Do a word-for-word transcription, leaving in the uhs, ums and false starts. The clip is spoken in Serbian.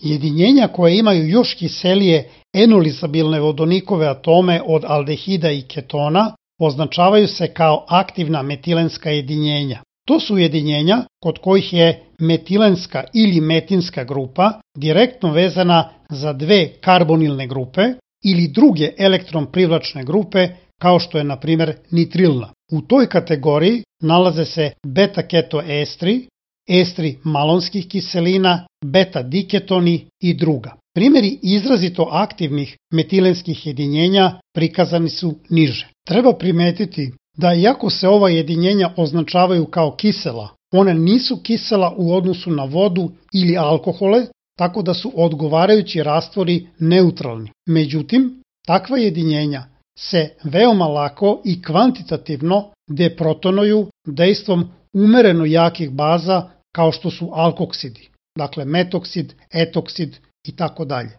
Jedinjenja koje imaju još kiselije enolizabilne vodonikove atome od aldehida i ketona označavaju se kao aktivna metilenska jedinjenja. To su jedinjenja kod kojih je metilenska ili metinska grupa direktno vezana za dve karbonilne grupe ili druge elektron-privlačne grupe kao što je na primjer nitrilna. U toj kategoriji nalaze se beta-ketoestri, estri malonskih kiselina, beta-diketoni i druga. Primjeri izrazito aktivnih metilenskih jedinjenja prikazani su niže. Treba primetiti da iako se ova jedinjenja označavaju kao kisela, one nisu kisela u odnosu na vodu ili alkohole, tako da su odgovarajući rastvori neutralni. Međutim, takva jedinjenja se veoma lako i kvantitativno deprotonuju dejstvom umereno jakih baza kao što su alkoksidi, dakle metoksid, etoksid i tako dalje.